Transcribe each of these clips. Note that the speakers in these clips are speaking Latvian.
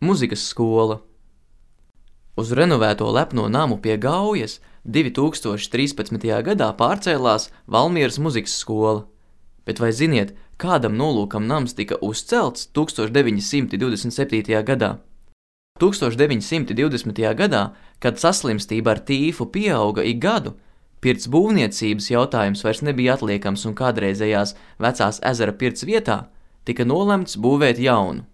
Muzikas skola. Uz renovēto lepno namu pie Gaujas 2013. gadā pārcēlās Valmieras muzikas skola. Bet vai ziniet, kādam nolūkam nams tika uzcelts 1927. gadā? 1920. gadā, kad saslimstība ar tīfu pieauga ik gadu, pirts būvniecības jautājums vairs nebija atliekams un kādreizējās vecās ezera pirts vietā tika nolemts būvēt jaunu.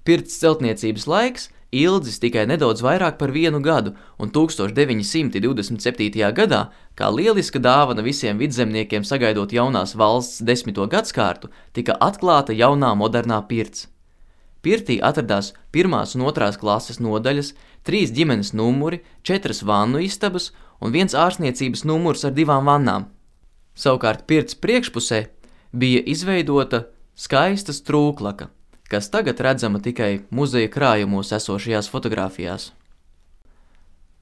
Pirts celtniecības laiks ilgs tikai nedaudz vairāk par 1 gadu, un 1927. gadā, kā lieliska dāvana visiem vidzemniekiem sagaidot jaunās valsts 10. gadskārtu, tika atklāta jaunā modernā pirts. Pirtī atradās 1. un 2. klases nodaļas, 3 ģimenes numuri, 4 vannu istabas un 1 ārstniecības numurs ar 2 vannām. Savukārt pirts priekšpusē bija izveidota skaista strūklaka, kas tagad redzama tikai muzeja krājumos esošajās fotogrāfijās.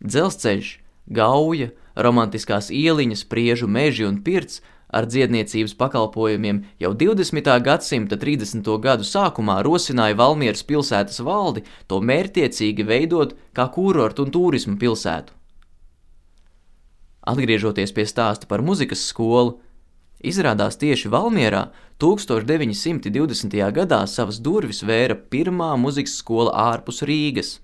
Dzelzceļš, Gauja, romantiskās ieliņas, Priežu meži un pirts ar dziedniecības pakalpojumiem jau 20. gadsimta 30. gadu sākumā rosināja Valmieras pilsētas valdi to mērķtiecīgi veidot kā kurortu un tūrismu pilsētu. Atgriežoties pie stāsta par muzikas skolu, izrādās tieši Valmierā 1920. gadā savas durvis vēra pirmā muzikas skola ārpus Rīgas.